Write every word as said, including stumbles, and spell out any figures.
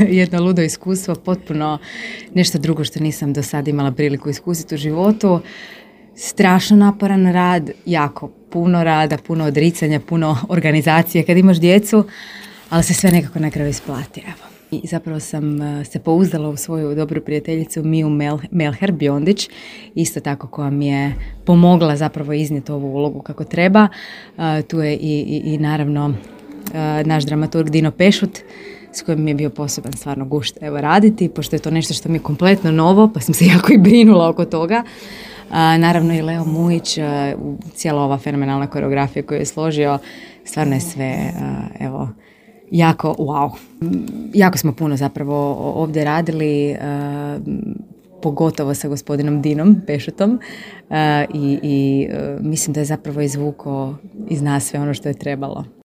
jedno ludo iskustvo, potpuno nešto drugo što nisam do sada imala priliku iskusiti u životu. Strašno naporan rad, jako puno rada, puno odricanja, puno organizacije kad imaš djecu, ali se sve nekako na kraju isplati. Evo. I zapravo sam se pouzdala u svoju dobru prijateljicu Miju Melher Biondić, isto tako koja mi je pomogla zapravo iznijeti ovu ulogu kako treba. Uh, tu je i, i, i naravno uh, naš dramaturg Dino Pešut, s kojim mi je bio poseban stvarno gušt evo raditi, pošto je to nešto što mi je kompletno novo, pa sam se jako i brinula oko toga. Uh, naravno i Leo Mujić, uh, cijela ova fenomenalna koreografija koju je složio, stvarno je sve, uh, evo, jako, wow. Jako smo puno zapravo ovdje radili, uh, pogotovo sa gospodinom Dinom Pešutom uh, i, i uh, mislim da je zapravo izvukao iz nas sve ono što je trebalo.